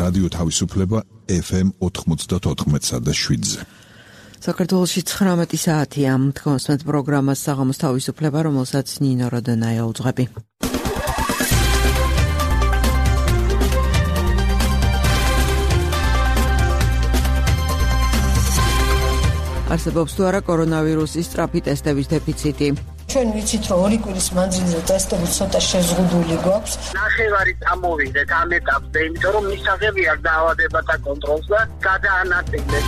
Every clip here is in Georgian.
რადიო თავისუფლება FM 94.7-ზე. საქართველოში 19 საათია. თქვენს პროგრამას საღამოს თავისუფლება, რომელსაც ნინო როდონაია უძღვები. არსებობს თუ არა კორონავირუსის სწრაფი ტესტების დეფიციტი. ჩვენ ვიცით, რომ 2 კვირის მანძილზე ტესტები ცოტა შეზღუდული გვაქვს. ნახევარი წამოვიდეთ ამ ეტაპზე, იმიტომ რომ მისაღები არ დაავადებათა კონტროლს და გადაანაწილეთ.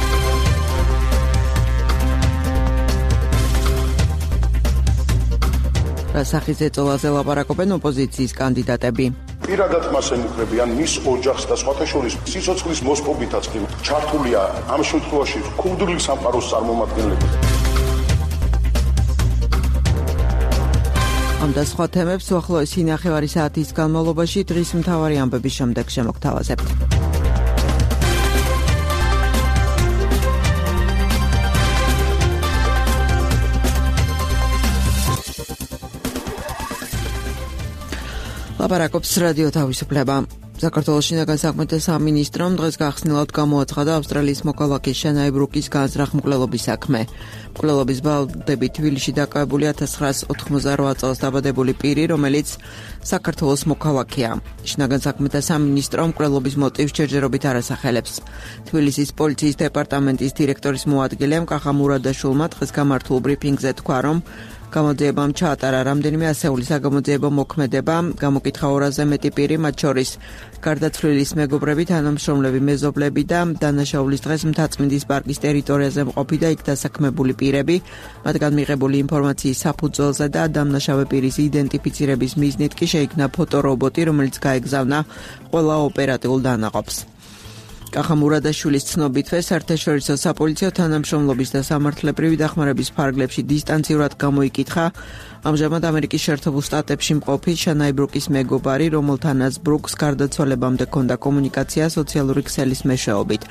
რასახის ეწოლაზე ლაპარაკობენ ოპოზიციის კანდიდატები. პირადად მას ემუქრებიან მის ოჯახს და სხვათა შორის სიცოცხლის მოსპობითაც კი ჩართულია ამ შემთხვევაში ქურდული სამყაროს წარმომადგენლები. ამ და სხვა თემებს უახლოესი ნახევარი საათის განმავლობაში დღის მთავარი ამბების შემდეგ შემოგთავაზებთ. ლაპარაკობს რადიო თავისუფლება. საქართველოს შინაგან საქმეთა სამინისტრომ დღეს გახსნილად გამოაცხადა ავსტრალიის მოქალაქის შანაი ბრუკის განზრახ მკვლელობის საქმე. მკვლელობის ბალდები თბილისში დაკავებული 1998 წელს დაბადებული პირი, რომელიც საქართველოს მოქალაქეა. შინაგან საქმეთა სამინისტრო მკვლელობის მოტივს ჯერჯერობით არ ასახელებს. თბილისის პოლიციის დეპარტამენტის დირექტორის მოადგილემ კახა მურადაშვილმა დღეს გამართულ ბრიფინგზე თქვა, რომ გამოძიებამ ჩაატარა რამდენიმე ასეული საგამოძიებო მოქმედება, გამოკითხა 200-ზე მეტი პირი, მათ შორის გარდაცვლილის მეგობრები, თანამშრომლები, მეზობლები და დანაშაულის დღეს მთაწმინდის პარკის ტერიტორიაზე მყოფი და იქ დასაქმებული პირები, მათგან მიღებული ინფორმაციის საფუძველზე და დამნაშავე პირის იდენტიფიცირების მიზნით კი შეიქმნა ფოტორობოტი, რომელიც გაეგზავნა ყველა ოპერატიულ დანაყოფს. კახა მურადაშვილის ცნობითვე საერთაშორისო საპოლიციო თანამშრომლობის და სამართლებრივი დახმარების ფარგლებში დისტანციურად გამოიკითხა ამჟამად ამერიკის შეერთებულ შტატებში მყოფი შანაი ბრუკის მეგობარი, რომელთანაც ბრუკს გარდაცვალებამდე ჰქონდა კომუნიკაცია სოციალური ქსელის მეშვეობით.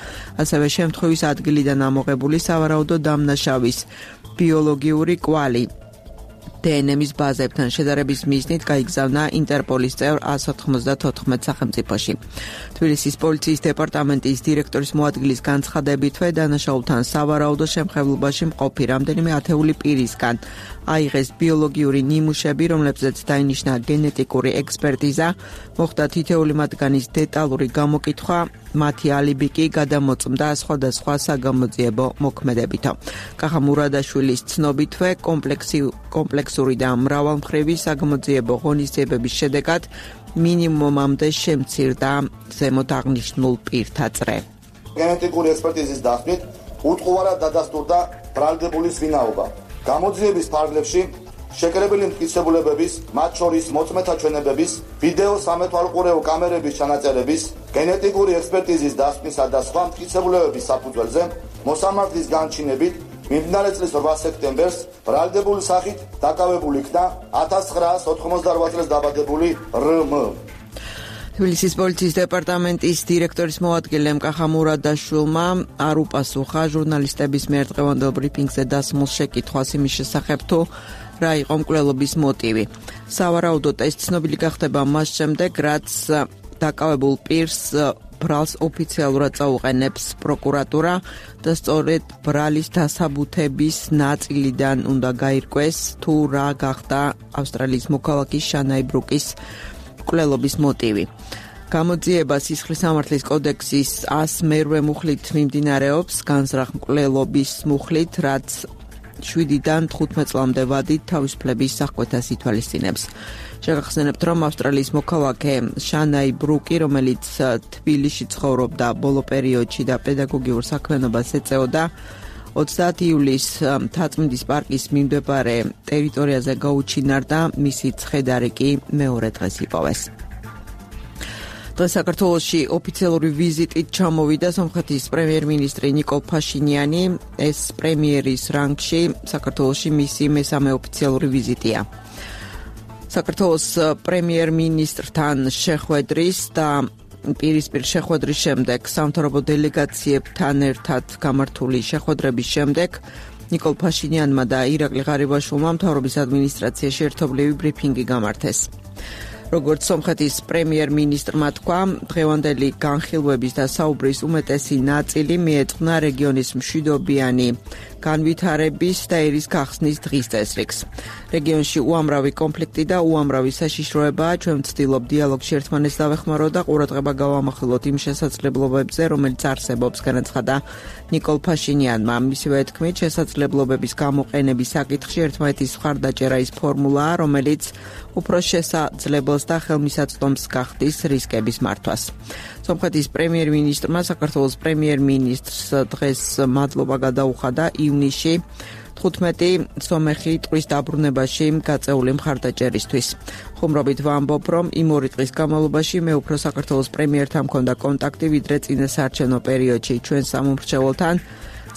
ასევე შემთხვევის ადგილიდან ამოღებული სავარაუდო დამნაშავის ბიოლოგიური კვალი დნმ-ის ბაზებთან შედარების მიზნით გაიგზავნა ინტერპოლის წევრ 194 სახელმწიფოში. თბილისის პოლიციის დეპარტამენტის დირექტორის მოადგილის განცხადებითვე დანაშაულთან სავარაუდო შემხებლობაში მყოფი რამდენიმე ათეული პირისგან აიღეს ბიოლოგიური ნიმუშები, რომლებზეც დაინიშნა გენეტიკური ექსპერტიზა, მოხდა თითეული მათგანის დეტალური გამოკითხვა, მათი ალიბი კი გადამოწმდა სხვადასხვა საგამოძიებო მოქმედებითო. კახა მურადაშვილის ცნობითვე კომპლექსური და მრავალმხრივი საგამოძიებო ღონისძიებების შედეგად მინიმუმამდე შემცირდა ზემოთ აღნიშნულ პირთა წრე. გენეტიკური ექსპერტიზის დახმით უტყუარად დადასტურდა ბრალდებულის ვინაობა. გამოძიების ფარგლებში შეკრებილი მტკიცებულებების, მათ შორის მოწმეთა ჩვენებების, ვიდეო სამეთვალყურეო კამერების ჩანაწერების, გენეტიკური ექსპერტიზის დასმისა და სხვა მტკიცებულებების საფუძველზე მოსამართლის განჩინებით მიმდინარე წლის 8 სექტემბერს ბრალდებულის სახით დაკავებული იქნა 1998 წელს დაბადებული რმ. თბილისის პოლიციის დეპარტამენტის დირექტორის მოადგილემ კახა მურადაშვილმა არ უპასუხა ჟურნალისტების მიერ დღევანდელ ბრიფინგზე დასმულ შეკითხვას იმის შესახებ, თუ რა იყო მკვლელობის მოტივი. სავარაუდო ტესტი ცნობილი გახდება მას შემდეგ, რაც დაკავებულ პირს ბრალს ოფიციალურად წაუყენებს პროკურატურა და სწორედ ბრალის დასაბუთების ნაწილიდან უნდა გაირკვეს, თუ რა გახდა ავსტრალიის მოქალაქის შანაი ბრუკის მკვლელობის მოტივი. გამოძიება სისხლის სამართლის კოდექსის 108 მუხლით მიმდინარეობს, განზრახ მკვლელობის მუხლით, რაც 7-დან 15 წლამდე ვადით თავისუფლების აღკვეთას ითვალისწინებს. შეგახსენებთ, რომ ავსტრალიის მოქალაქე შანაი ბრუკი, რომელიც თბილისში ცხოვრობდა ბოლო პერიოდში და პედაგოგიურ საქმიანობას ეწეოდა, 30 ივლისს მთაწმინდის პარკის მიმდებარე ტერიტორიაზე გაუჩინარდა, მისი ცხედარი კი მეორე დღეს იპოვეს. დღეს საქართველოში ოფიციალური ვიზიტით ჩამოვიდა სომხეთის პრემიერ-მინისტრი ნიკოლ ფაშინიანი. ეს პრემიერის რანგში საქართველოში მისი მესამე ოფიციალური ვიზიტია. საქართველოს პრემიერ-მინისტრთან შეხვედრის და პირისპირ შეხვედრის შემდეგ სამთავრობო დელეგაციებთან ერთად გამართული შეხვედრების შემდეგ ნიკოლ ფაშინიანმა და ირაკლი ღარიბაშვილმა მთავრობის ადმინისტრაციაში ერთობლივი ბრიფინგი გამართეს. როგორც სომხეთის პრემიერ-მინისტრმა თქვა, დღევანდელი განხილვების და საუბრის უმეტესი ნაწილი მიეძღვნა რეგიონის მშვიდობიანი განვითარების და ერის გახსნის დღის წესრიგს. რეგიონში უამრავი კონფლიქტი და უამრავი საშიშროებაა, ჩვენ ვცდილობ დიალოგში ერთმანეთს დავეხმაროთ და ყურადღება გავამახვილოთ იმ შესაძლებლობებზე, რომელიც არსებობს, განაცხადა ნიკოლ ფაშინიანმა. მისივე თქმით, შესაძლებლობების გამოყენების საკითხში ერთმანეთის მხარდაჭერა ის ფორმულაა, რომელიც უფრო შესაძლებელს და ხელმისაწვდომს გახდის რისკების მართვას. სომხეთის პრემიერ-მინისტრმა საქართველოს პრემიერ-მინისტრს დღეს მადლობა გადაუხადა ივნისში 15 სომეხი ტყვის დაბრუნებაში გაწეული მხარდაჭერისთვის. ხუმრობით ვამბობ, რომ იმ 2 დღის განმავლობაში მე უფრო საქართველოს პრემიერთან მქონდა კონტაქტი, ვიდრე წინა საარჩევნო პერიოდში ჩვენ სამომრჩეველთან.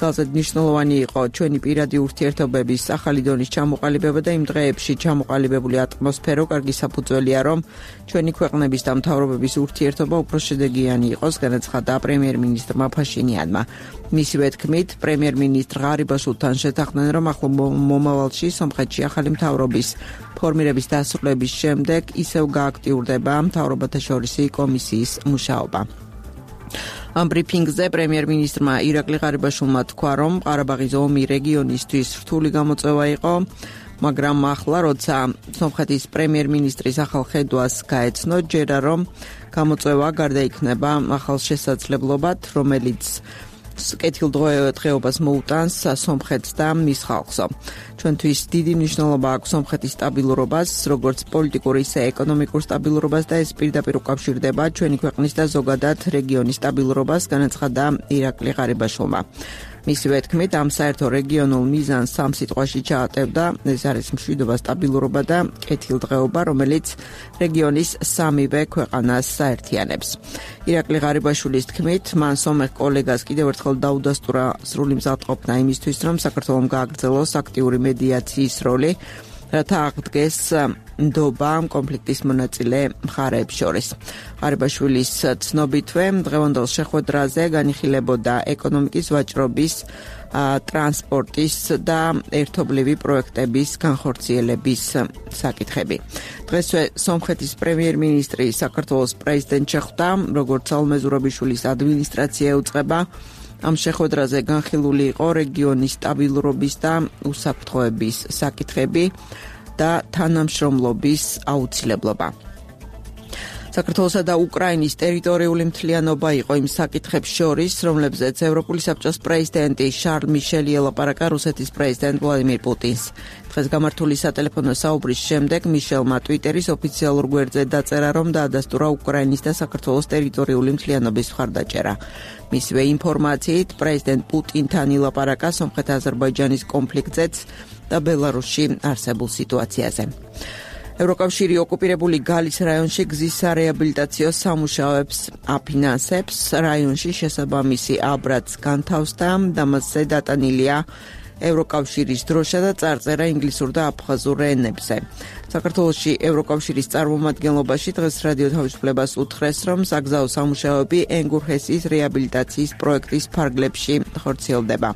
ძალზედ მნიშვნელოვანი იყო ჩვენი პირადი ურთიერთობების ახალი დონის ჩამოყალიბება და იმ დღეებში ჩამოყალიბებული ატმოსფერო კარგი საფუძველია, რომ ჩვენი ქვეყნების და მთავრობების ურთიერთობა უფრო შედეგიანი იყოს, განაცხადა პრემიერ-მინისტრმა ფაშინიანმა. მისივე თქმით, პრემიერ-მინისტრ ღარიბაშვილთან შეთანხმდნენ, რომ ახლო მომავალში სომხეთში ახალი მთავრობის ფორმირების დასრულების შემდეგ ისევ გააქტიურდება მთავრობათა შორისი კომისიის მუშაობა. ამ ბრიფინგზე პრემიერ-მინისტრმა ირაკლი ღარიბაშვილმა თქვა, რომ ყარაბაღის ომი რეგიონისთვის რთული გამოწვევა იყო, მაგრამ ახლა, როცა სომხეთის პრემიერ-მინისტრის ახალ ხედვას გაეცნო, ჯერა რომ გამოწვევა გარდაიქმნება ახალ შესაძლებლობად, რომელიც კეთილდღეობას მოუტანს სომხეთს და მის ხალხსო. ჩვენთვის დიდი მნიშვნელობა აქვს სომხეთის სტაბილურობას, როგორც პოლიტიკურ, ისე ეკონომიკურ სტაბილურობას და ეს პირდაპირ უკავშირდება ჩვენი ქვეყნის და ზოგადად რეგიონის სტაბილურობას, განაცხადა ირაკლი ღარიბაშვილმა. მისივე თქმით, ამ საერთო რეგიონულ მიზანს სამ სიტყვაში ჩაატევდა, ეს არის მშვიდობა, სტაბილურობა და კეთილდღეობა, რომელიც რეგიონის სამივე ქვეყანას საერთიანებს. ირაკლი ღარიბაშვილის თქმით, მან სომეხ კოლეგას კიდევ ერთხელ დაუდასტურა სრული მზადყოფნა იმისთვის, რომ საქართველომ გააგრძელოს აქტიური მედიაციის როლი, რათა აღდგეს ნდობა კონფლიქტის მონაწილე მხარეებს შორის. ღარიბაშვილის ცნობითვე დღევანდელ შეხვედრაზე განიხილებოდა ეკონომიკის, ვაჭრობის, ტრანსპორტის და ერთობლივი პროექტების განხორციელების საკითხები. დღესვე სომხეთის პრემიერ-მინისტრი საქართველოს პრეზიდენტ შეხვდა, როგორც ალმეზურაბიშვილის ადმინისტრაცია ეუწყება. ამ შეხვედრაზე განხილული იყო რეგიონის სტაბილურობის და უსაფრთხოების საკითხები და თანამშრომლობის აუცილებლობა. საქართველოსა და უკრაინის ტერიტორიული მთლიანობა იყო იმ საკითხებს შორის, რომლებზეც ევროპული საბჭოს პრეზიდენტი შარლ მიშელი ელაპარაკა რუსეთის პრეზიდენტ ვლადიმირ პუტინს. დღეს გამართული სატელეფონო საუბრის შემდეგ მიშელმა ტვიტერის ოფიციალურ გვერდზე დაწერა, რომ დაადასტურა უკრაინის და საქართველოს ტერიტორიული მთლიანობის მხარდაჭერა. მისივე ინფორმაციით, პრეზიდენტ პუტინთან ილაპარაკა სომხეთ-აზერბაიჯანის კონფლიქტზეც და ბელარუსში არსებულ სიტუაციაზე. ევროკავშირი ოკუპირებული გალის რაიონში გზისარეაბილიტაციო სამუშაოებს აფინანსებს. რაიონში შესაბამისი აბრაც განთავსდა და მასზე დატანილია ევროკავშირის დროშა და წარწერა ინგლისურ და აფხაზურ ენებზე. საქართველოში ევროკავშირის წარმომადგენლობაში დღეს რადიო თავისუფლებას უთხრეს, რომ საგზაო სამუშაოები ენგურჰესის რეაბილიტაციის პროექტის ფარგლებში ხორციელდება.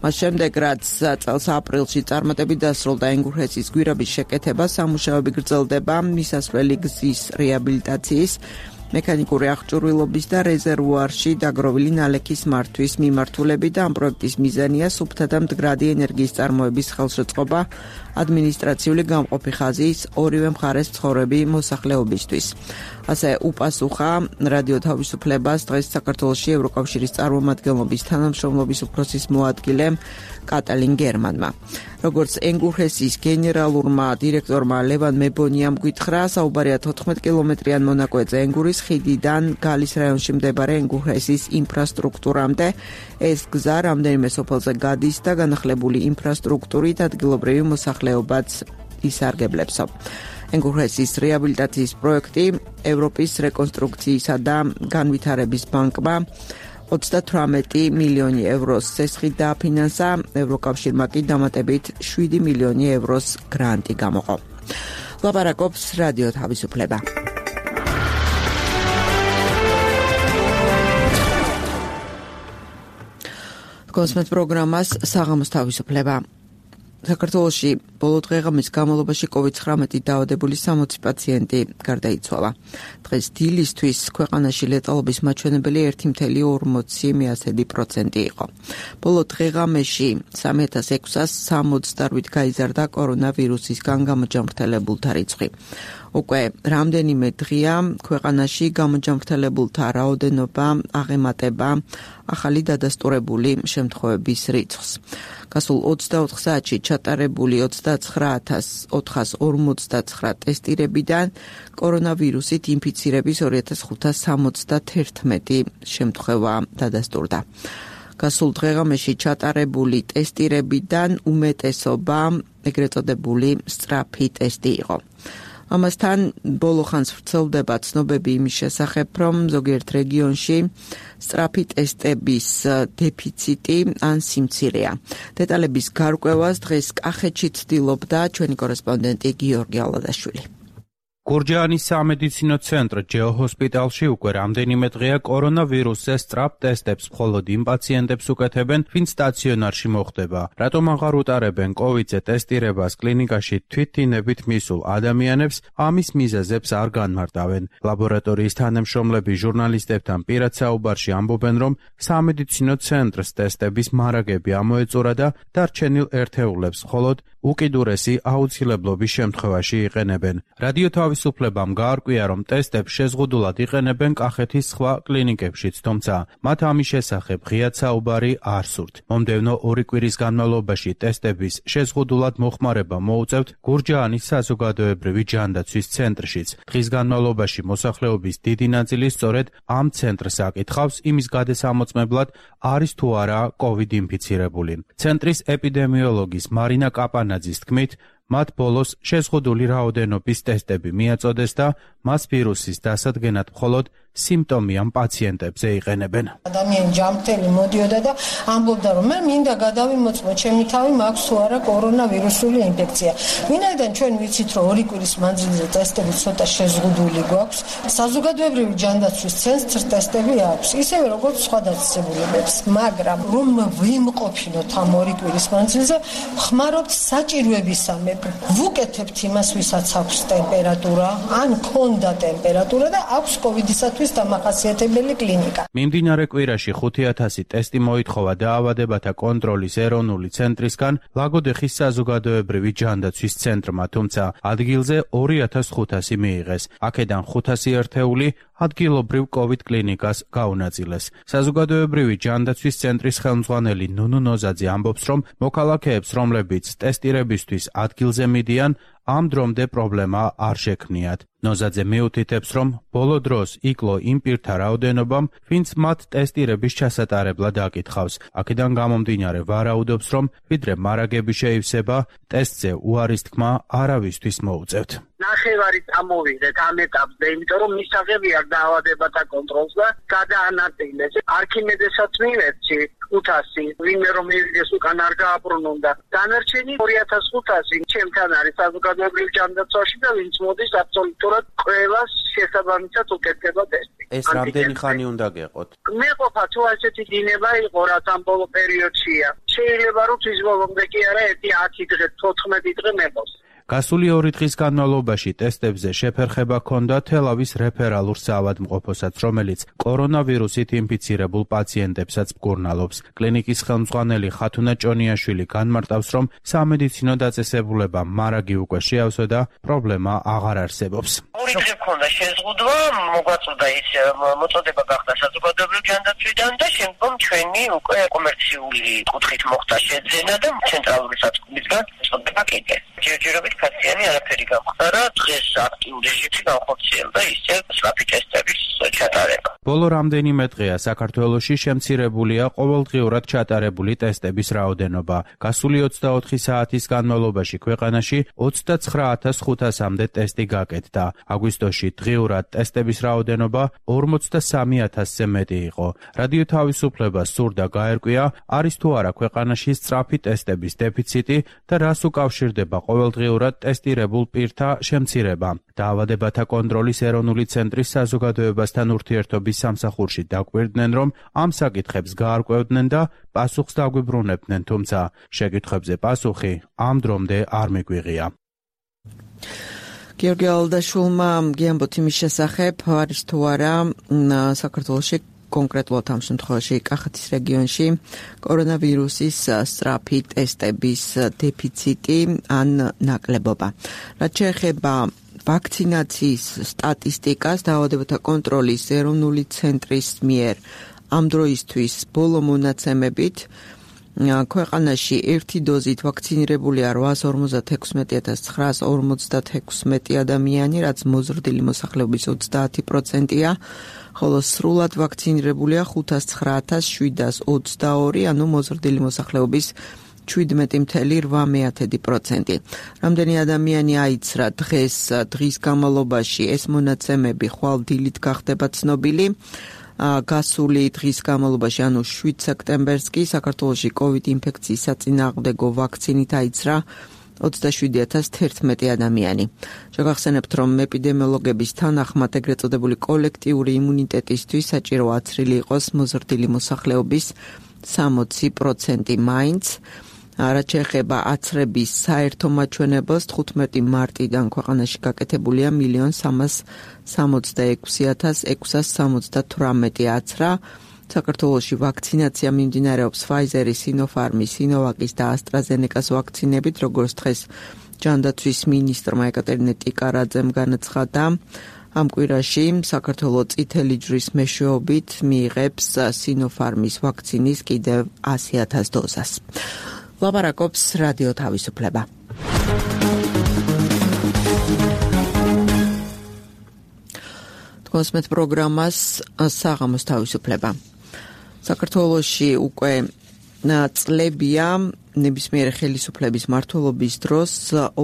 მას შემდეგ, რაც წელს აპრილში წარმატებით დასრულდა ენგურჰესის გვირაბის შეკეთება, სამუშაოები გრძელდება მისასვლელი გზის რეაბილიტაციის, მექანიკური აღჭურვილობის და რეზერვუარში დაგროვილი ნალექის მართვის მიმართულებით და ამ პროექტის მიზანია სუფთა და მდგრადი ენერგიის წარმოების ხელშეწყობა ადმინისტრაციული გამყოფი ხაზის ორივე მხარეს მცხოვრები მოსახლეობისთვის. ასე უპასუხა რადიო თავისუფლებას დღეს საქართველოში ევროკავშირის წარმომადგენლობის თანამშრომლობის უფროსის მოადგილემ კატალინ გერმანმა. როგორც ენგურჰესის გენერალურმა დირექტორმა ლევან მებონიამ გითხრა, საუბარია 14 კილომეტრიან მონაკვეთზე ენგურის ხიდიდან გალის რაიონში მდებარე ენგურჰესის ინფრასტრუქტურამდე. ეს გზა რამდენიმე სოფელზე გადის და განახლებული ინფრასტრუქტურით ადგილობრივი მოსახლეობაც ისარგებლებსო. ენგურჰესის რეაბილიტაციის პროექტი ევროპის რეკონსტრუქციისა და განვითარების ბანკმა 38 მილიონი ევროს სესხით დააფინანსა, ევროკავშირმა კი დამატებით 7 მილიონი ევროს გრანტი გამოყო. ლაპარაკობს რადიო თავისუფლება. კონსმეთ პროგრამას საღამოს თავისუფლება. საქართველოში ბოლო დღეღამის განმავლობაში COVID-19 დაავადებული 60 პაციენტი გარდაიცვალა. დღეს დილისთვის ქვეყანაში ლეტალობის მაჩვენებელი 1,40% იყო. ბოლო დღეღამეში 3668 გაიზარდა კორონავირუსისგან გამოჯანმრთელებულთა რიცხვი. უკვე რამდენიმე დღეა ქვეყანაში გამოჯანმრთელებულთა რაოდენობა აღემატება ახალი დადასტურებული შემთხვევების რიცხვს. გასულ 24 საათში ჩატარებული 29459 ტესტირებიდან კორონავირუსით ინფიცირების 2571 შემთხვევა დადასტურდა. გასულ დღეღამეში ჩატარებული ტესტირებიდან უმეტესობა ეგრეთ წოდებული სწრაფი ტესტი იყო. ამასთან ბოლო ხანს ვრცელდება ცნობები იმის შესახებ, რომ ზოგიერთ რეგიონში სწრაფი ტესტების დეფიციტი ან სიმცირეა. დეტალების გარკვევას დღეს კახეთში ცდილობდა ჩვენი კორესპონდენტი გიორგი ალადაშვილი. გურჯაანის სამედიცინო ცენტრ ჯეოჰოსპიტალში უკვე რამდენიმე დღეა კორონავირუსზე სწრაფ ტესტებს მხოლოდ იმ პაციენტებს უკეთებენ, ვინც სტაციონარში მოხვდება. რატომ აღარ უტარებენ კოვიდზე ტესტირებას კლინიკაში თვითდინებით მისულ ადამიანებს, ამის მიზეზებს არ განმარტავენ. ლაბორატორიის თანამშრომლები ჟურნალისტებთან პირად საუბარში ამბობენ, რომ სამედიცინო ცენტრს ტესტების მარაგები ამოეწურა და დარჩენილ ერთეულებს მხოლოდ უკიდურესი აუცილებლობის შემთხვევაში იყენებენ. რადიო თავისუფლებამ გაარკვია, რომ ტესტებს შეზღუდულად იყენებენ კახეთის სხვა კლინიკებშიც, თუმცა მათ ამის შესახებ ღიად საუბარი არ სურთ. მომდევნო 2 კვირის განმავლობაში ტესტების შეზღუდულად მოხმარება მოუწევთ გურჯაანის საზოგადოებრივი ჯანდაცვის ცენტრშიც. დღის განმავლობაში მოსახლეობის დიდი ნაწილი სწორედ ამ ცენტრს აკითხავს იმის გადასამოწმებლად, არის თუ არა COVID ინფიცირებული. ცენტრის ეპიდემიოლოგის მარინა კაპანაძის თქმით, მათ ბოლოს შეზღუდული რაოდენობის ტესტები მიაწოდეს და მას ვირუსის დასადგენად მხოლოდ სიმპტომიან პაციენტებზე იყენებენ. ადამიანი ჯანმრთელი მოდიოდა და ამბობდა, რომ მე მინდა გადავიმოწმო ჩემი თავი, მაქვს თუ არა კორონავირუსული ინფექცია. ვინაიდან ჩვენ ვიცით, რომ 2 კვირის მანძილზე ტესტები ცოტა შეზღუდული გვაქვს, საზოგადოებრივი ჯანდაცვის ცენტრს ტესტები აქვს, ისევე როგორც სხვა დაწესებულებებს, მაგრამ რომ ვიმყოფინოთ ამ 2 კვირის მანძილზე, ხმარობთ საჭიროებისამებრ. ვუკეთებთ იმას, ვისაც აქვს ტემპერატურა, ან ქონდა ტემპერატურა და აქვს კოვიდისათვის დამახასიათებელი კლინიკა. მიმდინარე კვირაში 5000 ტესტი მოითხოვა დაავადებათა კონტროლის ეროვნული ცენტრისგან ლაგოდეხის საზოგადოებრივი ჯანდაცვის ცენტრმა, თუმცა ადგილზე 2500 მიიღეს. აქედან 500 ერთეული ადგილობრივ COVID კლინიკას გაუნაწილეს. საზოგადოებრივი ჯანდაცვის ცენტრის ხელმძღვანელი ნუნუ ნოზაძე ამბობს, რომ მოქალაქეებს, რომლებიც ტესტირებისთვის ადგილზე მიდიან, ამ დრომდე პრობლემა არ შექმნიათ. ნოზაძე მიუთითებს, რომ ბოლო დროს იკლო იმ პირთა რაოდენობამ, ვინც მათ ტესტირების ჩასატარებლად აკითხავს. აქედან გამომდინარე ვარაუდობს, რომ ვიდრე მარაგები შეივსება, ტესტზე უარის თქმა არავისთვის მოუწევთ. ნახევარი წამოვიდეთ ამ ეტაპზე, იმიტომ რომ მისაღები არ დაავადებათა კონტროლს და გადაანაწილეს. არქიმედესაც მივეცი 500, ვინმე რომ მივიდეს უკან არ გააბრუნონდა. დანარჩენი 2500 ჩემთან არის საზოგადოებრივ ჯანდაცვაში და ვინც მოდის აბსოლუტურად ყველას შესაბამისად უკეთდება ტესტი. ეს რამდენი ხანი უნდა გეყოთ? მეყოფა თუ ასეთი დინება იყო, რაც ამ ბოლო პერიოდშია. შეიძლება რომ თვის ბოლომდე კი არა 10 დღე, 14 დღე მეყოს. გასული 2 დღის განმავლობაში ტესტებზე შეფერხება ჰქონდა თელავის რეფერალურ საავადმყოფოსაც, რომელიც კორონავირუსით ინფიცირებულ პაციენტებსაც მკურნალობს. კლინიკის ხელმძღვანელი ხათუნა ჭონიაშვილი განმარტავს, რომ სამედიცინო დაწესებულებამ მარაგი უკვე შეავსო და პრობლემა აღარ არსებობს. 2 დღე ჰქონდა შეზღუდვა, მოგვაწოდა ის მოწოდება გახდა საზოგადოებრივ ჯანდაცვიდან და შემდგომ ჩვენი უკვე კომერციული კუთხით მოხდა შეძენა და ცენტრალური საწმისგან მოწოდება კიდე. ჯერჯერობით ქაციანი არაფერი გამხდარა, დღეს აქტიურ რეჟიმში განხორციელდა ისე სწრაფი ტესტების ჩატარება. ბოლო რამდენიმე დღეა საქართველოში შემცირებულია ყოველდღიურად ჩატარებული ტესტების რაოდენობა. გასული 24 საათის განმავლობაში ქვეყანაში 29500-მდე ტესტი გაკეთდა. აგვისტოში დღიურად ტესტების რაოდენობა 43000-ზე მეტი იყო. რადიო თავისუფლებას სურდა გაერკვია, არის თუ არა ქვეყანაში სწრაფი ტესტების დეფიციტი და რას უკავშირდება ყოველდღიურად ტესტირებულ პირთა შემცირება. დაავადებათა კონტროლის ეროვნული ცენტრის საზოგადოებასთან ურთიერთობის მკვლელობის სამსახურში დაკვირდნენ, რომ ამ საკითხებს გაარკვევდნენ და პასუხს დაგვიბრუნებდნენ, თუმცა შეკითხვებზე პასუხი ამ დრომდე არ მიგვიღია. გიორგი ალდაშვილმა გიამბოთ იმის შესახებ, არის თუ არა საქართველოში კონკრეტულად ამ შემთხვევაში კახეთის რეგიონში კორონავირუსის სწრაფი ტესტების დეფიციტი ან ნაკლებობა. რაც შეეხება ვაქცინაციის სტატისტიკას, დაავადებათა კონტროლის ეროვნული ცენტრის მიერ ამ დროისთვის ბოლო მონაცემებით ქვეყანაში ერთი დოზით ვაქცინირებულია 856,956 ადამიანი, რაც მოზრდილი მოსახლეობის 30%-ია, ხოლო სრულად ვაქცინირებულია 509,722, ანუ მოზრდილი მოსახლეობის 17,8%. რამდენი ადამიანი აიცრა დღის განმავლობაში, ეს მონაცემები ხვალ დილით გახდება ცნობილი. გასული დღის განმავლობაში, ანუ 7 სექტემბერს კი საქართველოში COVID ინფექციის საწინააღმდეგო ვაქცინით აიცრა 27,011 ადამიანი. შეგახსენებთ, რომ ეპიდემიოლოგების თანახმად ეგრეთ წოდებული კოლექტიური იმუნიტეტისთვის საჭირო აცრილი იყოს მოზრდილი მოსახლეობის 60% მაინც. რაც შეეხება აცრების საერთო მაჩვენებელს, 15 მარტიდან ქვეყანაში გაკეთებულია 1,366,678 აცრა. საქართველოში ვაქცინაცია მიმდინარეობს Pfizer-ის, Sinopharm-ის, Sinovac-ის და AstraZeneca-ს ვაქცინებით, როგორც დღეს ჯანდაცვის მინისტრმა ეკატერინე ტიკარაძემ განაცხადა. ამ კვირაში საქართველოს წითელი ჯვრის მეშვეობით მიიღებს Sinopharm-ის ვაქცინის კიდევ 100,000 დოზას. ლაპარაკობს რადიო თავისუფლება. თქვენს პროგრამას საღამოს თავისუფლება. საქართველოში უკვე წლებია ნებისმიერი ხელისუფლების მმართველობის დროს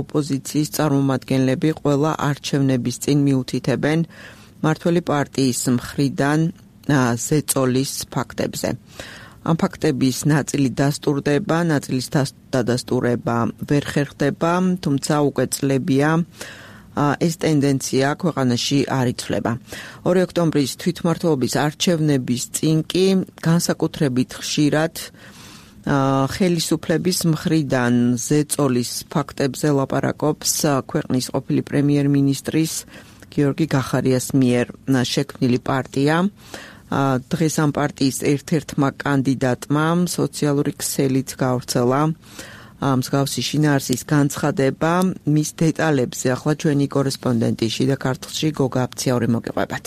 ოპოზიციის წარმომადგენლები ყველა არჩევნების წინ მიუთითებენ მმართველი პარტიის მხრიდან ზეწოლის ფაქტებზე. ამ ფაქტების ნაწილი დასტურდება, ნაწილის დადასტურება ვერ ხერხდება, თუმცა უკვე წლებია ეს ტენდენცია ქვეყანაში არ იცვლება. 2 ოქტომბრის თვითმმართველობის არჩევნების წინ კი განსაკუთრებით ხშირად ხელისუფლების მხრიდან ზეწოლის ფაქტებზე ლაპარაკობს ქვეყნის ყოფილი პრემიერ-მინისტრის გიორგი გახარიას მიერ შექმნილი პარტია. დღეს ამ პარტიის ერთ-ერთმა კანდიდატმა სოციალური ქსელით გავრცელა მსგავსი შინაარსის განცხადება. მის დეტალებზე ახლა ჩვენი კორესპონდენტი შიდა ქართლში გოგა აფციაური მოგეყვებათ.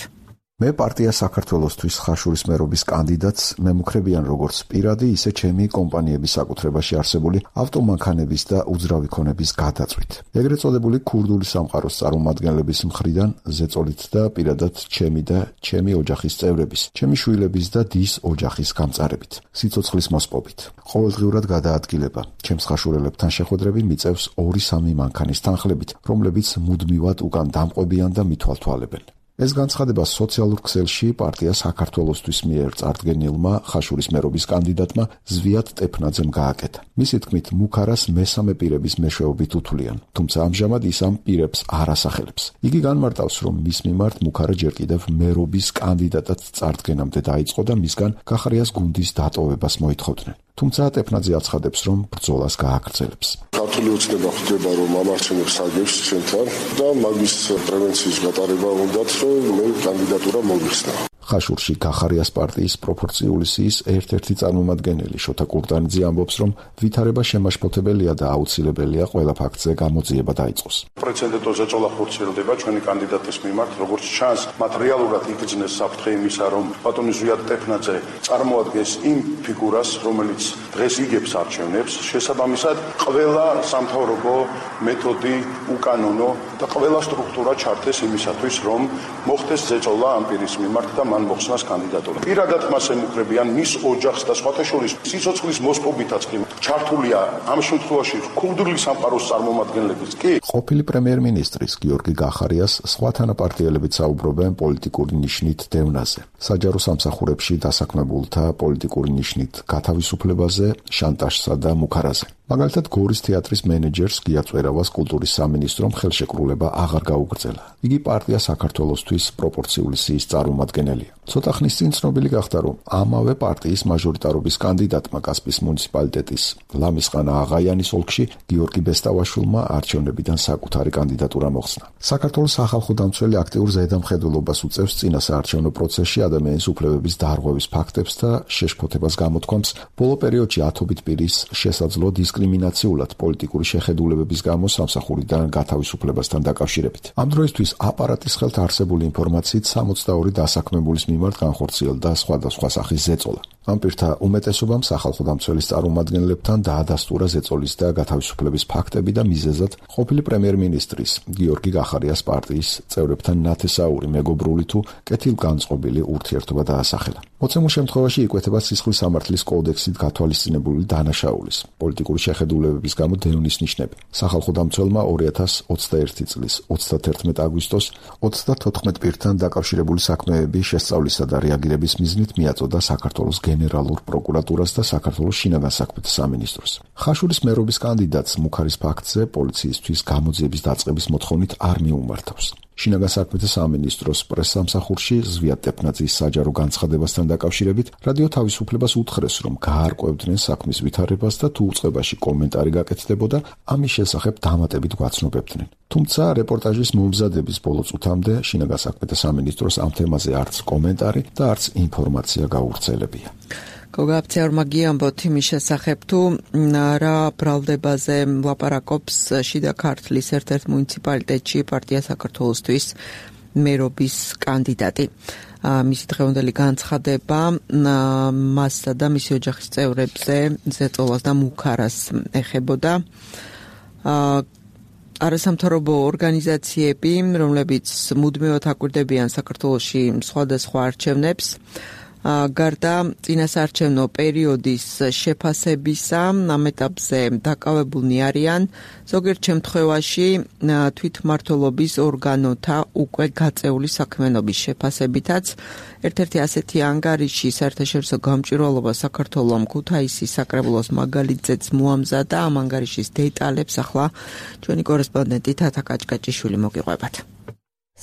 მე პარტია საქართველოსთვის ხაშურის მერობის კანდიდატს მემუქრებიან როგორც პირადი, ისე ჩემი კომპანიების საკუთრებაში არსებული ავტომანქანების და უძრავი ქონების გადაწვით. ეგრეთ წოდებული ქურდული სამყაროს წარმომადგენლების მხრიდან ზეწოლით და პირადად ჩემი და ჩემი ოჯახის წევრების, ჩემი შვილების და დის ოჯახის გამწარებით, სიცოცხლის მოსპობით. ყოველდღიურად გადაადგილება. ჩემს ხაშურელებთან შეხვედრები მიწევს 2-3 მანქანის თანხლებით, რომლებიც მუდმივად უკან დამყვებიან და მithვალთვალებენ. ეს განცხადება სოციალურ ქსელში პარტია საქართველოსთვის მიერ წარდგენილმა ხაშურის მერობის კანდიდატმა ზვიად ტეფნაძემ გააკეთა. მისი თქმით, მუქარას მესამე პირების მეშვეობით უთვლიან, თუმცა ამჟამად ის ამ პირებს არ ასახელებს. იგი განმარტავს, რომ მის მიმართ მუქარა ჯერ კიდევ მერობის კანდიდატად წარდგენამდე დაიწყო და მისგან გახარიას გუნდის დატოვებას მოითხოვდნენ. თუმცა ტეფნაძე აცხადებს, რომ ბრძოლას გააგრძელებს. ქართული ოცნება ხდება, რომ ამარჩენებს აგებს ჩვენთან და მაგის პრევენციის გატარება უნდათ, რომ მე კანდიდატურა მოვიხსნა. ხაშურში გახარიას პარტიის პროპორციული სიის ერთ-ერთი წარმომადგენელი შოთა კურდანიძე ამბობს, რომ ვითარება შემაშფოთებელია და აუცილებელია ყველა ფაქტზე გამოძიება დაიწყოს. პრეცედენტო ზეწოლა ხორციელდება ჩვენი კანდიდატის მიმართ, როგორც ჩანს, მათ რეალურად იგრძნეს საფრთხე იმისა, რომ ბატონი ზვიად ტეფნაძე წარმოადგენს იმ ფიგურას, რომელიც დღეს იგებს არჩევნებს, შესაბამისად ყველა სამთავრობო მეთოდი უკანონო და ყველა სტრუქტურა ჩართეს იმისათვის, რომ მოხდეს ზეწოლა ამ პირის მიმართ და მან მოხსნას კანდიდატურა. პირადად მას ემუქრებიან მის ოჯახს და სხვათა შორის სიცოცხლის მოსპობითაც კი ჩართულია ამ შემთხვევაში ქურდული სამყაროს წარმომადგენლებიც კი. ყოფილი პრემიერ-მინისტრის გიორგი გახარიას სხვა თანაპარტიელებიც საუბრობენ პოლიტიკური ნიშნით დევნაზე, საჯარო სამსახურებში დასაქმებულთა პოლიტიკური ნიშნით გათავისუფლებაზე, შანტაჟსა და მუქარაზე. მაგალითად, გორის თეატრის მენეჯერს გია წვერავას კულტურის სამინისტრომ ხელშეკრულება აღარ გაუგრძელა. იგი პარტია საქართველოსთვის პროპორციული სიის წარმომადგენელი მიღებელია. ცოტა ხნის წინ ცნობილი გახდა, რომ ამავე პარტიის მაჟორიტარობის კანდიდატმა კასპის მუნიციპალიტეტის ლამისყანა აღაიანის ოლქში გიორგი ბესტავაშვილმა არჩევნებიდან საკუთარი კანდიდატურა მოხსნა. საქართველოს სახალხო დამცველი აქტიურ ზედამხედველობას უწევს წინა საარჩევნო პროცესში ადამიანის უფლებების დარღვევის ფაქტებს და შეშფოთებას გამოთქვამს ბოლო პერიოდში ათობით პირის შესაძლო დისკრიმინაციულად პოლიტიკური შეხედულებების გამო სამსახურიდან გათავისუფლებასთან დაკავშირებით. ამ დროისთვის აპარატის ხელთ არსებული ინფორმაციით 62 დასაქმებულის მიმართ განხორციელდა სხვადასხვა სახის ზეწოლა. ამ პირთა უმეტესობამ სახალხო დამცველის წარმომადგენლებთან დაადასტურა ზეწოლის და გათავისუფლების ფაქტები და მიზეზად ყოფილი პრემიერ-მინისტრის გიორგი გახარიას პარტიის წევრებთან ნათესაური მეგობრული თუ კეთილგანწყობილი ურთიერთობა დაასახელა. მოცემულ შემთხვევაში იკვეთება სისხლის სამართლის კოდექსით გათვალისწინებული დანაშაულის, პოლიტიკური შეხედულებების გამო დევნის ნიშნები. სახალხო დამცველმა 2021 წლის 31 აგვისტოს 34 პირთან დაკავშირებული საქმეები შესწავლისა და რეაგირების მიზნით მიაწოდა საქართველოს გენერალურ პროკურატურას და საქართველოს შინაგან საქმეთა სამინისტროს. ხაშურის მერობის კანდიდატს მუქარის ფაქტზე პოლიციისთვის გამოძიების დაწყების მოთხოვნით არ მიუმართავს. შინაგან საქმეთა სამინისტროს პრესსამსახურში ზვიად ტეპნაძის საჯარო განცხადებასთან დაკავშირებით რადიო თავისუფლებას უთხრეს, რომ გაარკვევდნენ საქმის ვითარებას და თუ უწყებაში კომენტარი გაკეთდებოდა, ამის შესახებ დამატებით გვაცნობებდნენ. თუმცა რეპორტაჟის მომზადების ბოლო წუთამდე შინაგან საქმეთა სამინისტროს ამ თემაზე არც კომენტარი და არც ინფორმაცია გაუვრცელებია. გოგაფცეორმა გიამბოთ იმის შესახებ, თუ რა ბრალდებაზე ლაპარაკობს შიდა ქართლის ერთ-ერთ მუნიციპალიტეტში პარტია საქართველოსთვის მერობის კანდიდატი. მისი დღევანდელი განცხადება მასსა და მისი ოჯახის წევრებზე ზეწოლას და მუქარას ეხებოდა. არასამთავრობო ორგანიზაციები, რომლებიც მუდმივად აკვირდებიან საქართველოში სხვადასხვა არჩევნებს, გარდა წინასაარჩევნო პერიოდის შეფასებისა, ამ ეტაპზე დაკავებულნი არიან ზოგიერთ შემთხვევაში თვითმმართველობის ორგანოთა უკვე გაწეული საქმიანობის შეფასებითაც. ერთ-ერთი ასეთი ანგარიში საერთაშორისო გამჭვირვალობა საქართველოს ქუთაისის საკრებულოს მაგალითზეც მოამზადა. ამ ანგარიშის დეტალებს ახლა ჩვენი კორესპონდენტი თათა კაჭკაჭიშვილი მოგიყვებათ.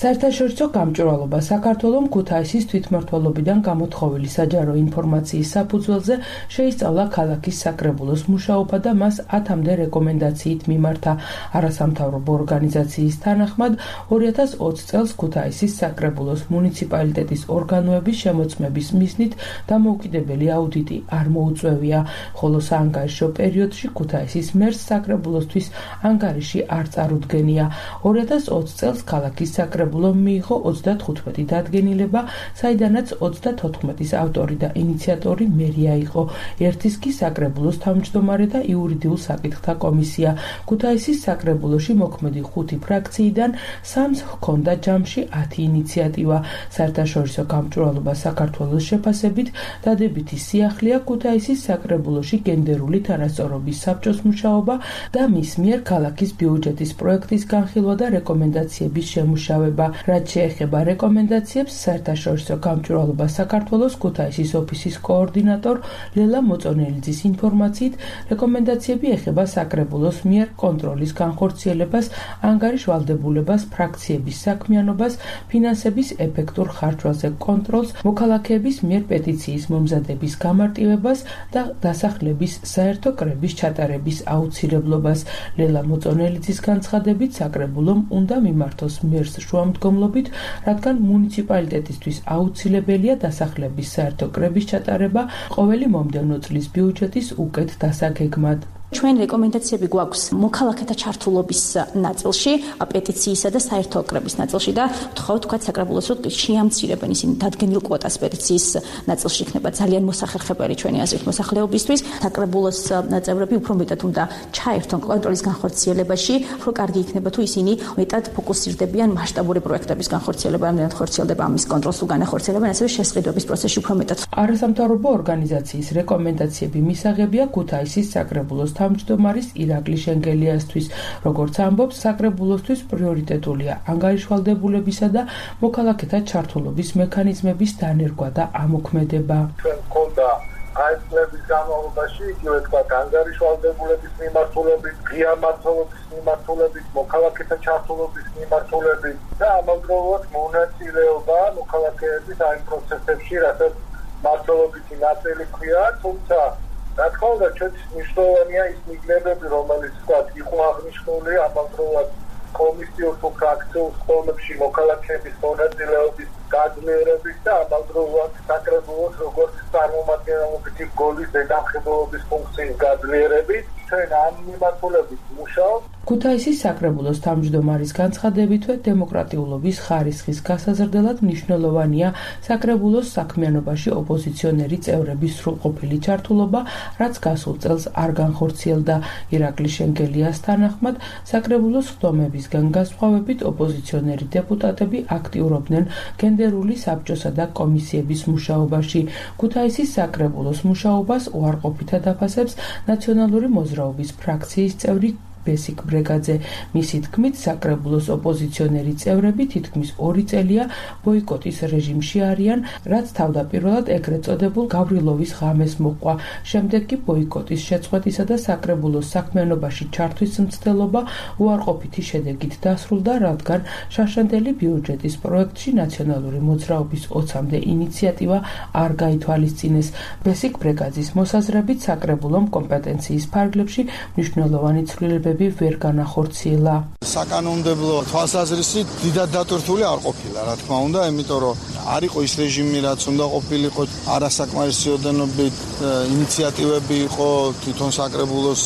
საერთაშორისო გამჭვირვალობა საქართველოს ქუთაისის თვითმმართველობიდან გამოთხოვილი საჯარო ინფორმაციის საფუძველზე შეისწავლა ქალაქის საკრებულოს მუშაობა და მას 10-მდე რეკომენდაციით მიმართა. არასამთავრობო ორგანიზაციის თანახმად 2020 წელს ქუთაისის საკრებულოს მუნიციპალიტეტის ორგანოების შემოწმების მიზნით დამოუკიდებელი აუდიტი არ მოუწევია, ხოლო საანგარიშო პერიოდში ქუთაისის მერს საკრებულოსთვის ანგარიში არ წარუდგენია. 2020 წელს ქალაქის საკრებულოს მიიღო 35 დადგენილება, საიდანაც 34-ის ავტორი და ინიციატორი მერია იყო. ერთის კი საკრებულოს თავმჯდომარე და იურიდიულ საკითხთა კომისია. ქუთაისის საკრებულოში მოქმედი 5 ფრაქციიდან 3-ს ჰქონდა ჯამში 10 ინიციატივა. საერთაშორისო გამჭვირვალობა საქართველოს შეფასებით დადებითი სიახლეა ქუთაისის საკრებულოში გენდერული თანასწორობის საბჭოს მუშაობა და მის მიერ ქალაქის ბიუჯეტის პროექტის განხილვა და რეკომენდაციების შემუშავება. რაც შეეხება რეკომენდაციებს, საერთაშორისო გამჭვირვალობა საქართველოს ქუთაისის ოფისის კოორდინატორ ლელა მოწონელიძის ინფორმაციით, რეკომენდაციები ეხება საკრებულოს მიერ კონტროლის განხორციელებას, ანგარიშ ვალდებულებას, ფრაქციების საქმიანობას, ფინანსების ეფექტურ ხარჯვაზე კონტროლს, მოქალაქეების მიერ პეტიციის მომზადების გამარტივებას და დასახლების საერთო კრების ჩატარების აუცილებლობას. ლელა მოწონელიძის განცხადებით, საკრებულომ უნდა მიმართოს მერს შუამდგომლობით, რადგან მუნიციპალიტეტისთვის აუცილებელია დასახლების საერთო კრების ჩატარება ყოველი მომდევნო წლის ბიუჯეტის უკეთ დასაგეგმად. ჩვენ რეკომენდაციები გვაქვს მოქალაქეთა ჩართულობის ნაწილში, პეტიციისა და საერთო კრების ნაწილში და ვთხოვთ საკრებულოს რომ შეამცირებენ ისინი დადგენილ კვოტას პეტიციის ნაწილში იქნება ძალიან მოსახერხებელი ჩვენი აზრით მოსახლეობისთვის. საკრებულოს წევრები უფრო მეტად უნდა ჩაერთონ კონტროლის განხორციელებაში, უფრო კარგი იქნება თუ ისინი მეტად ფოკუსირდებიან მასშტაბური პროექტების განხორციელებაზე, რამდენად ხორციელდება ამის კონტროლს თუ განახორციელებენ, ასევე შესყიდვების პროცესში უფრო მეტად. არასამთავრობო ორგანიზაციის რეკომენდაციები მისაღებია ქუთაისის საკრებულოს თავმჯდომარის ირაკლი შენგელიასთვის. როგორც ამბობს, საკრებულოსთვის პრიორიტეტულია ანგარიშვალდებულებისა და მოქალაქეთა ჩართულობის მექანიზმების დანერგვა და ამოქმედება. ჩვენ გქონდა აი წლების განმავლობაში იგივე თქვა ანგარიშვალდებულების მიმართულებით, ღია მმართველობის მიმართულებით, მოქალაქეთა ჩართულობის მიმართულებით და ამავდროულად მონაწილეობა მოქალაქეების აი პროცესებში, რასაც მმართველობითი ნაწილი ქვია, თუმცა რა თქმა უნდა, ჩვენთვის მნიშვნელოვანია ის მიგნებები, რომელიც თქვა იყო აღნიშნული ამავდროულად კომისიურ თუ ფრაქციულ სხდომებში მოქალაქეების მონაწილეობის გაძლიერების და ამავდროულად საკრებულოს როგორც წარმომადგენლობითი გოლის ზედამხედველობის ფუნქციის გაძლიერებით ჩვენ ამ მიმართულებით მუშაობთ. ქუთაისის საკრებულოს თავმჯდომარის განცხადებითვე დემოკრატიულობის ხარისხის გასაზრდელად მნიშვნელოვანია საკრებულოს საქმიანობაში ოპოზიციონერი წევრების სრულყოფილი ჩართულობა, რაც გასულ წელს არ განხორციელდა. ირაკლი შენგელიას თანახმად, საკრებულოს სხდომებისგან განსხვავებით ოპოზიციონერი დეპუტატები აქტიურობდნენ გენდერული საბჭოსა და კომისიების მუშაობაში. ქუთაისის საკრებულოს მუშაობას უარყოფითად აფასებს ნაციონალური მოძრაობის ფრაქციის წევრი ბესიკ ბრეგაძე. მისი თქმით, საკრებულოს ოპოზიციონერი წევრები თითქმის 2 წელია ბოიკოტის რეჟიმში არიან, რაც თავდაპირველად ეგრეთ წოდებულ გავრილოვის ღამეს მოჰყვა. შემდეგ კი ბოიკოტის შეწყვეტისა და საკრებულოს საქმიანობაში ჩართვის მცდელობა უარყოფითი შედეგით დასრულდა, რადგან შაშანდელი ბიუჯეტის პროექტში ნაციონალური მოძრაობის 20-მდე ინიციატივა არ გაითვალისწინეს. ბესიკ ბრეგაძის მოსაზრებით, საკრებულომ კომპეტენციის ფარგლებში მნიშვნელოვანი ცვლილებები ვერ განახორციელა. საკანონმდებლო თვალსაზრისით დიდად დატვირთული არ ყოფილა, რა თქმა უნდა, იმიტომ რომ არ იყო ის რეჟიმი, რაც უნდა ყოფილიყო, არასაკმარისი ოდენობით ინიციატივები იყო თვითონ საკრებულოს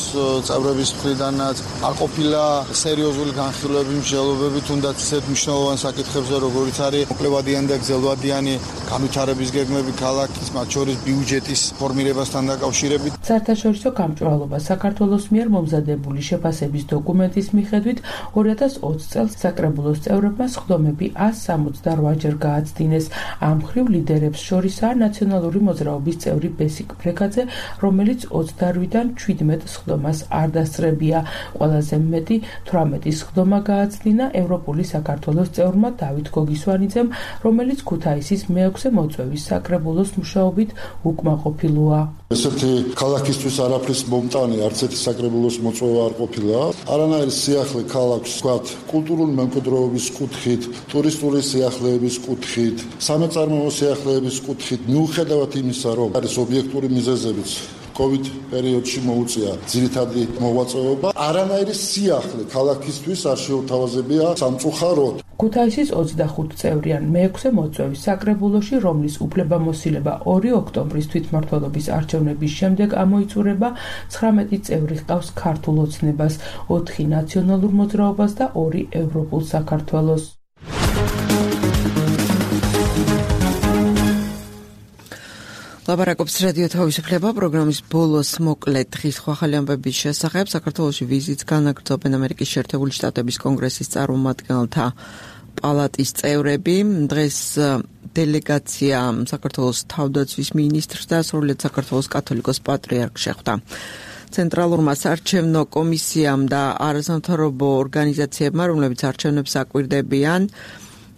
წევრების მხრიდანაც, არ ყოფილა სერიოზული განხილვები, მსჯელობები, თუნდაც ისეთ მნიშვნელოვან საკითხებზე, როგორიც არის მოკლებადიანი და გრძელვადიანი განვითარების გეგმები ქალაქის, მათ შორის ბიუჯეტის ფორმირებასთან დაკავშირებით. საერთაშორისო გამჭვირვალობა საქართველოს მიერ მომზადებული შეფასების დოკუმენტის მიხედვით 2020 წელს საკრებულოს წევრებმა სხდომები 168-ჯერ გააცდინეს. ამ მხრივ ლიდერებს შორისაა ნაციონალური მოძრაობის წევრი ბესიკ ბრეგაძე, რომელიც 28-დან 17 სხდომას არ დასწრებია. ყველაზე მეტი 18 სხდომა გააცდინა ევროპული საქართველოს წევრმა დავით გოგისვანიძემ, რომელიც ქუთაისის მეექვსე მოწვევის საკრებულოს მუშაობით უკმაყოფილოა. ესეთი ქალაქისთვის არაფრის მომტანი არც ერთი საკრებულოს მოწვევა არ ყოფილა. არანაირი სიახლე ქალაქს ვთქვათ, კულტურული მემკვიდრეობის კუთხით, ტურისტული სიახლეების კუთხით, სამეწარმოო სიახლეების კუთხით, მიუხედავად იმისა, რომ არის ობიექტური მიზეზებიც COVID პერიოდში მოუწია ძირითადი მოღვაწეობა, არანაირი სიახლე ქალაქისთვის არ შეუთავაზებია სამწუხაროდ. ქუთაისის 25 წევრიან მეექვსე მოწვევის საკრებულოში, რომლის უფლებამოსილება 2 ოქტომბრის თვითმმართველობის არჩევნების შემდეგ ამოიწურება, 19 წევრი ჰყავს ქართულ ოცნებას, 4 ნაციონალურ მოძრაობას და 2 ევროპულ საქართველოს. ლაპარაკობს რადიო თავისუფლება პროგრამის ბოლოს მოკლედ დღის ახალი ამბების შესახებ. საქართველოში ვიზიტს განაგრძობენ ამერიკის შეერთებული შტატების კონგრესის წარმომადგენელთა პალატის წევრები. დღეს დელეგაცია საქართველოს თავდაცვის მინისტრს და სრულიად საქართველოს კათოლიკოს პატრიარქს შეხვდა. ცენტრალურმა საარჩევნო კომისიამ და არასამთავრობო ორგანიზაციებმა, რომლებიც არჩევნებს აკვირდებიან,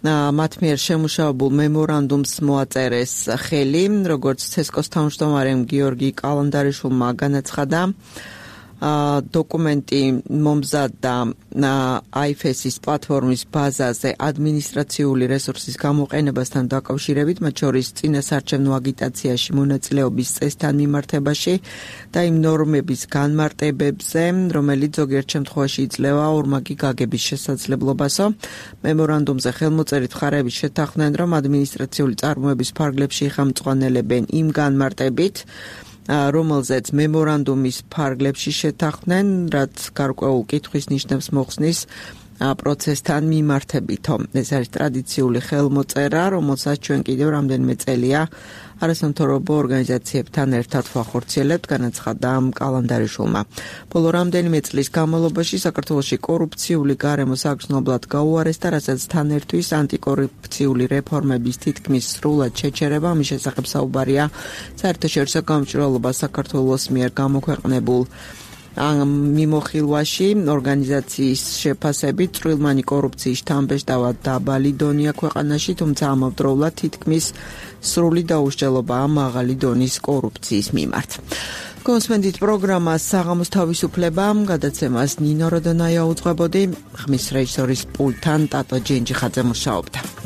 მათ მიერ შემუშავებულ მემორანდუმს მოაწერეს ხელი, როგორც ცესკოს თავმჯდომარემ გიორგი კალანდარიშვილმა განაცხადა. დოკუმენტი მომზადდა IFES-ის პლატფორმის ბაზაზე ადმინისტრაციული რესურსის გამოყენებასთან დაკავშირებით, მათ შორის წინასარჩევნო აგიტაციაში მონაწილეობის წესთან მიმართებაში და იმ ნორმების განმარტებებზე, რომელიც ზოგიერთ შემთხვევაში იძლევა ორმაგი გაგების შესაძლებლობასო. მემორანდუმზე ხელმოწერით მხარეები შეთანხმდნენ, რომ ადმინისტრაციული წარმოების ფარგლებში იხამწვანელებენ იმ განმარტებით, რომელზეც მემორანდუმის ფარგლებში შეთანხმდნენ, რაც გარკვეულ კითხვის ნიშნებს მოხსნის პროცესთან მიმართებითო. ეს არის ტრადიციული ხელმოწერა, რომელსაც ჩვენ კიდევ რამდენიმე წელია არასამთავრობო ორგანიზაციებთან ერთად ვახორციელებთ, განაცხადა კალანდარიშვილმა. ბოლო რამდენიმე წლის განმავლობაში საქართველოში კორუფციული გარემო საგრძნობლად გაუარესდა, რასაც თან ერთვის ანტიკორუფციული რეფორმების თითქმის სრულად შეჩერება. ამის შესახებ საუბარია საერთაშორისო გამჭვირვალობას საქართველოს მიერ გამოქვეყნებულ მიმოხილვაში ორგანიზაციის შეფასებით წვრილმანი კორუფციის შთამბეჭდავად დაბალი დონია ქვეყანაში, თუმცა ამავდროულად თითქმის სრული დაუსჯელობაა მაღალი დონის კორუფციის მიმართ. კონსვენდით პროგრამას საღამოს თავისუფლება გადაცემას ნინო როდონაია უძღვებოდი, ხმის რეჟისორის პულტთან ტატო ჯენჯიხაძე მუშაობდა.